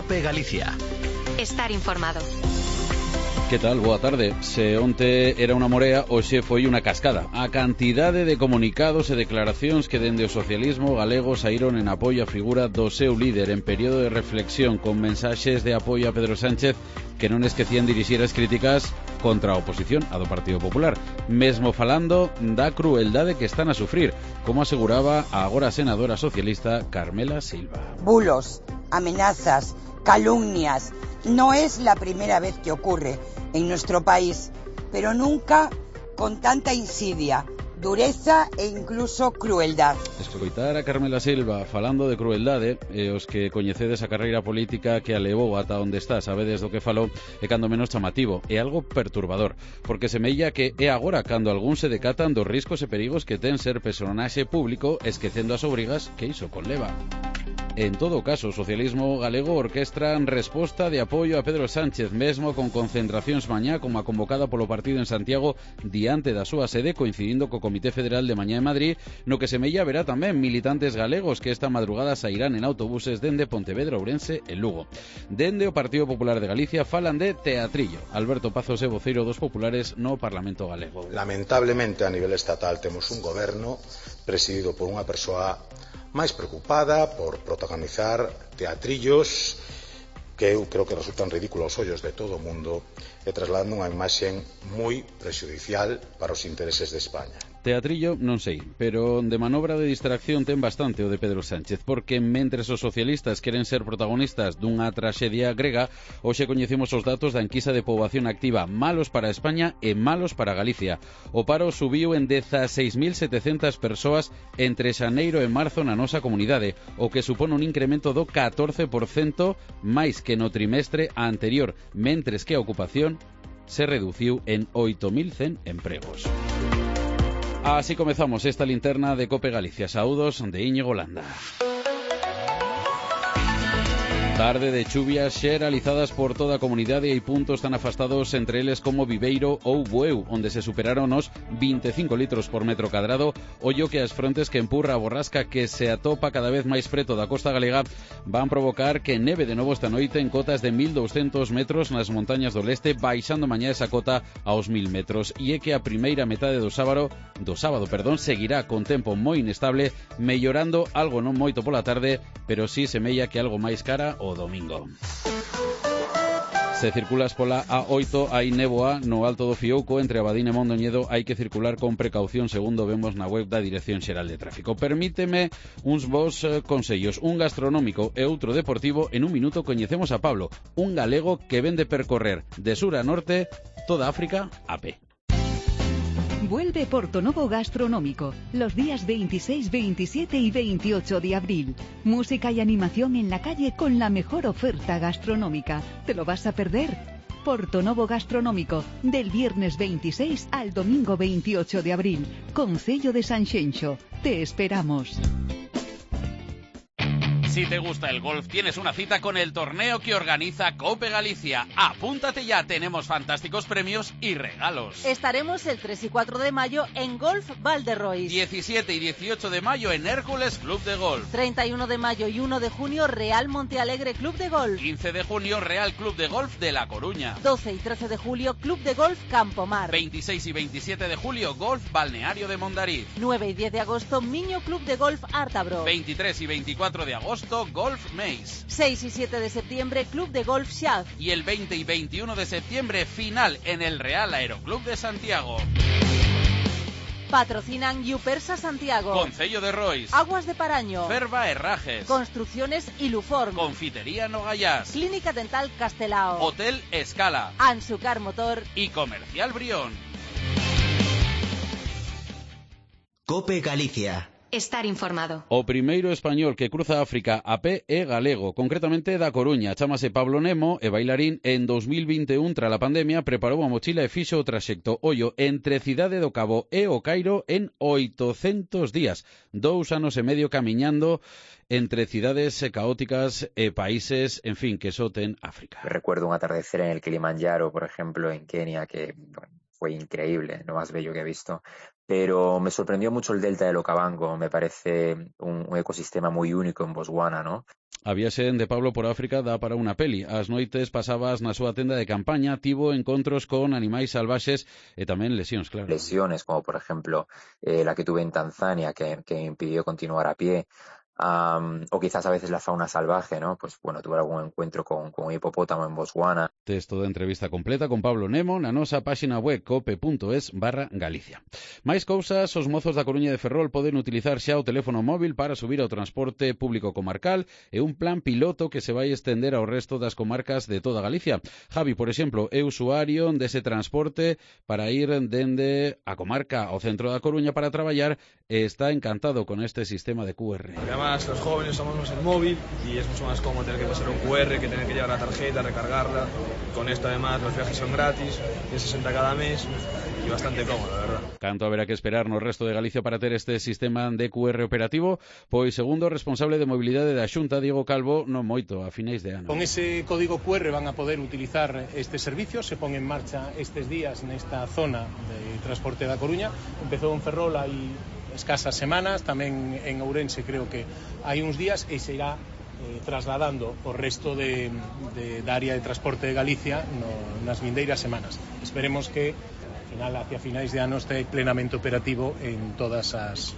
COPE Galicia. Estar informado. Que tal? Boa tarde. Se onte era unha morea, hoxe foi unha cascada. A cantidade de comunicados e declaracións que dende o socialismo galego saíron en apoio á figura do seu líder en período de reflexión, con mensaxes de apoio a Pedro Sánchez que non esquecían dirixir as críticas contra a oposición, a do Partido Popular, mesmo falando da crueldade que están a sufrir, como aseguraba a agora senadora socialista Carmela Silva. Bulos, amenazas, calumnias. No es la primera vez que ocurre en nuestro país, pero nunca con tanta insidia, dureza e incluso crueldad. Escoitar a Carmela Silva falando de crueldade, os que coñecedes a carreira política que a levou ata onde está, sabedes do que falou, é cando menos chamativo, é algo perturbador, porque semella que é agora cando algún se decatan dos riscos e perigos que ten ser personaxe público, esquecendo as obrigas que iso conleva. En todo caso, o socialismo galego orquestra en resposta de apoio a Pedro Sánchez, mesmo con concentracións mañá como a convocada polo partido en Santiago diante da súa sede, coincidindo co Comité Federal de mañá en Madrid, no que semella haberá tamén militantes galegos que esta madrugada sairán en autobuses dende Pontevedra, Ourense e Lugo. Dende o Partido Popular de Galicia falan de teatrillo. Alberto Pazos é voceiro dos populares no Parlamento galego. Lamentablemente a nivel estatal temos un goberno presidido por unha persoa máis preocupada por protagonizar teatrillos que eu creo que resultan ridículos aos ollos de todo o mundo e trasladando unha imaxe moi prexudicial para os intereses de España. Teatrillo non sei, pero de manobra de distracción ten bastante o de Pedro Sánchez, porque mentres os socialistas queren ser protagonistas dunha traxedia grega, hoxe coñecemos os datos da enquisa de poboación activa, malos para España e malos para Galicia. O paro subiu en 16.700 persoas entre xaneiro e marzo na nosa comunidade, o que supón un incremento do 14% máis que no trimestre anterior, mentres que a ocupación se reduciu en 8.100 empregos. Así comezamos esta linterna de COPE Galicia. Saúdos de Íñigo Landa. Tarde de chuvias xeralizadas por toda a comunidade e hai puntos tan afastados entre eles como Viveiro ou Bueu, onde se superaron os 25 litros por metro cadrado. Ollo que as frontes que empurra a borrasca que se atopa cada vez máis preto da costa galega van provocar que neve de novo esta noite en cotas de 1.200 metros nas montañas do leste, baixando mañá esa cota aos 1.000 metros. E é que a primeira metade do sábado, seguirá con tempo moi inestable, mellorando algo non moito pola tarde, pero sí semella que algo máis cara o domingo. Se circulas pola A8 hai néboa no Alto do Fiouco entre Abadín e Mondoñedo, hai que circular con precaución segundo vemos na web da Dirección Xeral de Tráfico. Permíteme uns bons consellos, un gastronómico e outro deportivo. En un minuto coñecemos a Pablo, un galego que vende percorrer de sur a norte toda África a pé. Vuelve Portonovo Gastronómico los días 26, 27 y 28 de abril. Música y animación en la calle con la mejor oferta gastronómica. ¿Te lo vas a perder? Portonovo Gastronómico, del viernes 26 al domingo 28 de abril. Concello de Sanxenxo. Te esperamos. Si te gusta el golf, tienes una cita con el torneo que organiza COPE Galicia. Apúntate ya, tenemos fantásticos premios y regalos. Estaremos el 3 y 4 de mayo en Golf Valderrois. 17 y 18 de mayo en Hércules Club de Golf. 31 de mayo y 1 de junio Real Montealegre Club de Golf. 15 de junio Real Club de Golf de La Coruña. 12 y 13 de julio Club de Golf Campomar. 26 y 27 de julio Golf Balneario de Mondariz. 9 y 10 de agosto Miño Club de Golf Ártabro. 23 y 24 de agosto Golf Maze. 6 y 7 de septiembre Club de Golf Shaf. Y el 20 y 21 de septiembre final en el Real Aeroclub de Santiago. Patrocinan Yupersa Santiago, Concello de Rois, Aguas de Paraño, Ferva Herrajes, Construcciones Iluform, Confitería Nogayás, Clínica Dental Castelao, Hotel Escala, Ansucar Motor y Comercial Brión. COPE Galicia. Estar informado. O primeiro español que cruza África a pé é galego, concretamente da Coruña. Chámase Pablo Nemo e bailarín. En 2021, tras a pandemia, preparou a mochila e fixo o traxecto ollo entre Cidade do Cabo e o Cairo en 800 días. 2 anos e medio camiñando entre cidades caóticas e países, en fin, que só ten África. Recuerdo un atardecer en el Kilimanjaro, por ejemplo, en Kenia, que bueno, fue increíble, lo más bello que he visto. pero me sorprendió mucho el delta del Okavango, me parece un ecosistema muy único en Botswana, ¿no? A viaxe de Pablo por África dá para unha peli. As noites pasabas na súa tenda de campaña, tivo encontros con animais salvaxes e tamén lesións, claro. Lesiones, como por ejemplo la que tuve en Tanzania, que impidió continuar a pie. O quizás a veces la fauna salvaje, ¿no? Pues bueno, tuve algún encuentro con un hipopótamo en Botswana. Texto de entrevista completa con Pablo Nemo na nosa páxina web cope.es/Galicia. Mais cousas, os mozos da Coruña de Ferrol poden utilizar xa o teléfono móvil para subir ao transporte público comarcal e un plan piloto que se vai estender ao resto das comarcas de toda Galicia. Javi, por exemplo, é usuario dese transporte para ir dende a comarca ao centro da Coruña para traballar e está encantado con este sistema de QR. Además, los jóvenes usamos más el móvil y es mucho más cómodo tener que pasar un QR que tener que llevar la tarjeta, recargarla. Con esto, además, los viajes son gratis, de 60 cada mes y bastante cómodo, la verdad. Canto haberá que esperar no resto de Galicia para ter este sistema de QR operativo, pois segundo o responsable de mobilidade da Xunta, Diego Calvo, non moito, a finais de ano. Con ese código QR van a poder utilizar este servicio, se pon en marcha estes días nesta zona de transporte da Coruña. Empezou en Ferrol hai escasas semanas, tamén en Ourense creo que hai uns días e se irá trasladando o resto da área de transporte de Galicia nas vindeiras semanas. Esperemos que hacia finais de ano este plenamente operativo en todas as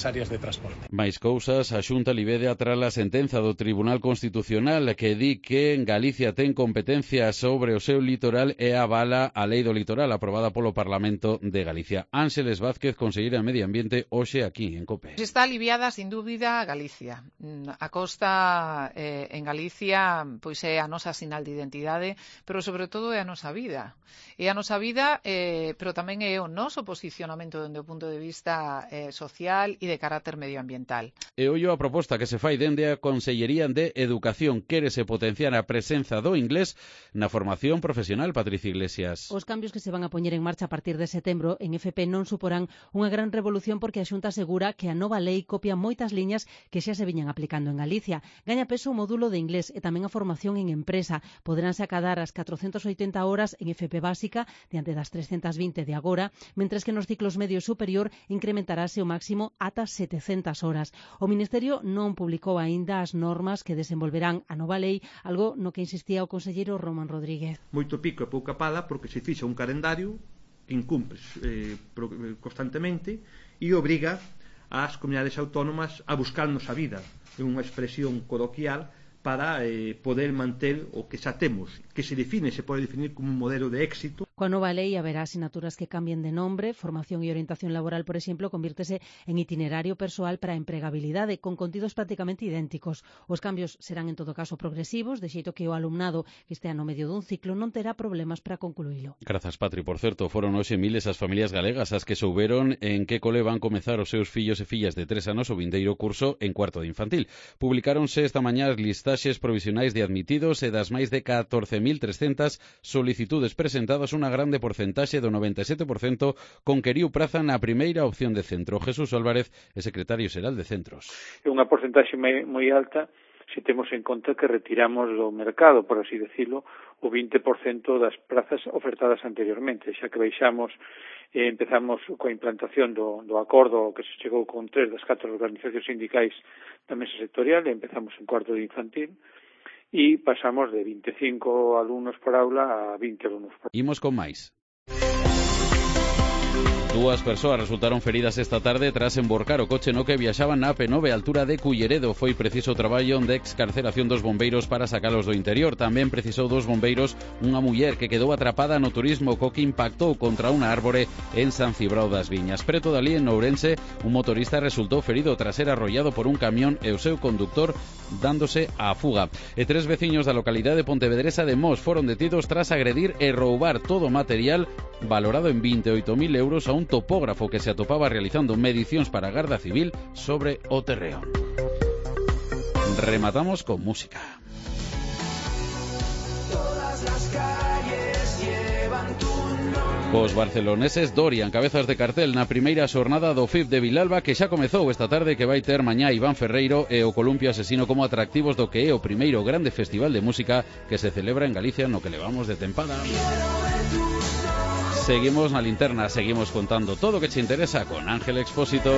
áreas de transporte. Mais cousas, a Xunta libede tras a sentenza do Tribunal Constitucional que di que Galicia ten competencia sobre o seu litoral e avala a Lei do Litoral aprobada polo Parlamento de Galicia. Ángeles Vázquez, conselleira de Medio Ambiente, hoxe aquí en COPE. Está aliviada, sin dúbida, Galicia. A costa en Galicia pois é a nosa sinal de identidade, pero sobre todo é a nosa vida. É a nosa vida, pero tamén é o noso posicionamento dende o punto de vista social e de carácter medioambiental. E ollo a proposta que se fai dende a Consellería de Educación. Quérese potenciar a presenza do inglés na formación profesional, Patricia Iglesias. Os cambios que se van a poñer en marcha a partir de setembro en FP non suporán unha gran revolución porque a Xunta asegura que a nova lei copia moitas liñas que xa se viñan aplicando en Galicia. Gaña peso o módulo de inglés e tamén a formación en empresa. Poderánse acadar as 480 horas en FP básica diante das 320 de agora, mentres que nos ciclos medio superior incrementarase o máximo ata 700 horas. O Ministerio non publicou aínda as normas que desenvolverán a nova lei, algo no que insistía o conselleiro Román Rodríguez. Moito pico e pouca pala porque se fixa un calendario que incumpre constantemente e obriga ás comunidades autónomas a buscarnos a vida. É unha expresión coloquial para poder manter o que xa temos, que se pode definir como un modelo de éxito. Coa nova lei haberá asignaturas que cambien de nombre, formación e orientación laboral, por exemplo, convírtese en itinerario persoal para a empregabilidade, con contidos prácticamente idénticos. Os cambios serán en todo caso progresivos, de xeito que o alumnado que estea no medio dun ciclo non terá problemas para concluílo. Grazas, Patri. Por certo, foron hoxe miles as familias galegas as que souberon en que cole van comezar os seus fillos e fillas de 3 anos o vindeiro curso en cuarto de infantil. Publicáronse esta mañá as listaxes provisionais de admitidos e das máis de 14.300 solicitudes presentadas, unha grande porcentaxe do 97% conqueriu praza na primeira opción de centro. Jesús Álvarez é secretario xeral de Centros. É unha porcentaxe moi alta se temos en conta que retiramos do mercado, por así decirlo, o 20% das prazas ofertadas anteriormente, xa que baixamos empezamos coa implantación do acordo que se chegou con 3 das 4 organizacións sindicais da mesa sectorial e empezamos en cuarto de infantil e pasamos de 25 alumnos por aula a 20 alumnos por aula. Imos con máis. Dúas persoas resultaron feridas esta tarde tras emborcar o coche no que viaxaban na AP9 altura de Culleredo. Foi preciso traballo de excarceración dos bombeiros para sacalos do interior. Tamén precisou dos bombeiros unha muller que quedou atrapada no turismo co que impactou contra unha árbore en San Cibrao das Viñas. Preto dali en Ourense, un motorista resultou ferido tras ser arrollado por un camión e o seu conductor dándose á fuga. E 3 veciños da localidade pontevedresa de Mos foron detidos tras agredir e roubar todo o material valorado en 28.000 euros a un topógrafo que se atopaba realizando medicións para a Garda Civil sobre o terreo. Rematamos con música. Todas las calles llevan tu nombre. Cos barceloneses Dorian, cabezas de cartel na primeira xornada do FIP de Vilalba que xa comezou esta tarde, que vai ter mañá Iván Ferreiro e o Columpio Asesino como atractivos do que é o primeiro grande festival de música que se celebra en Galicia no que levamos de tempada. Seguimos na linterna, seguimos contando todo o que che interesa con Ángel Expósito.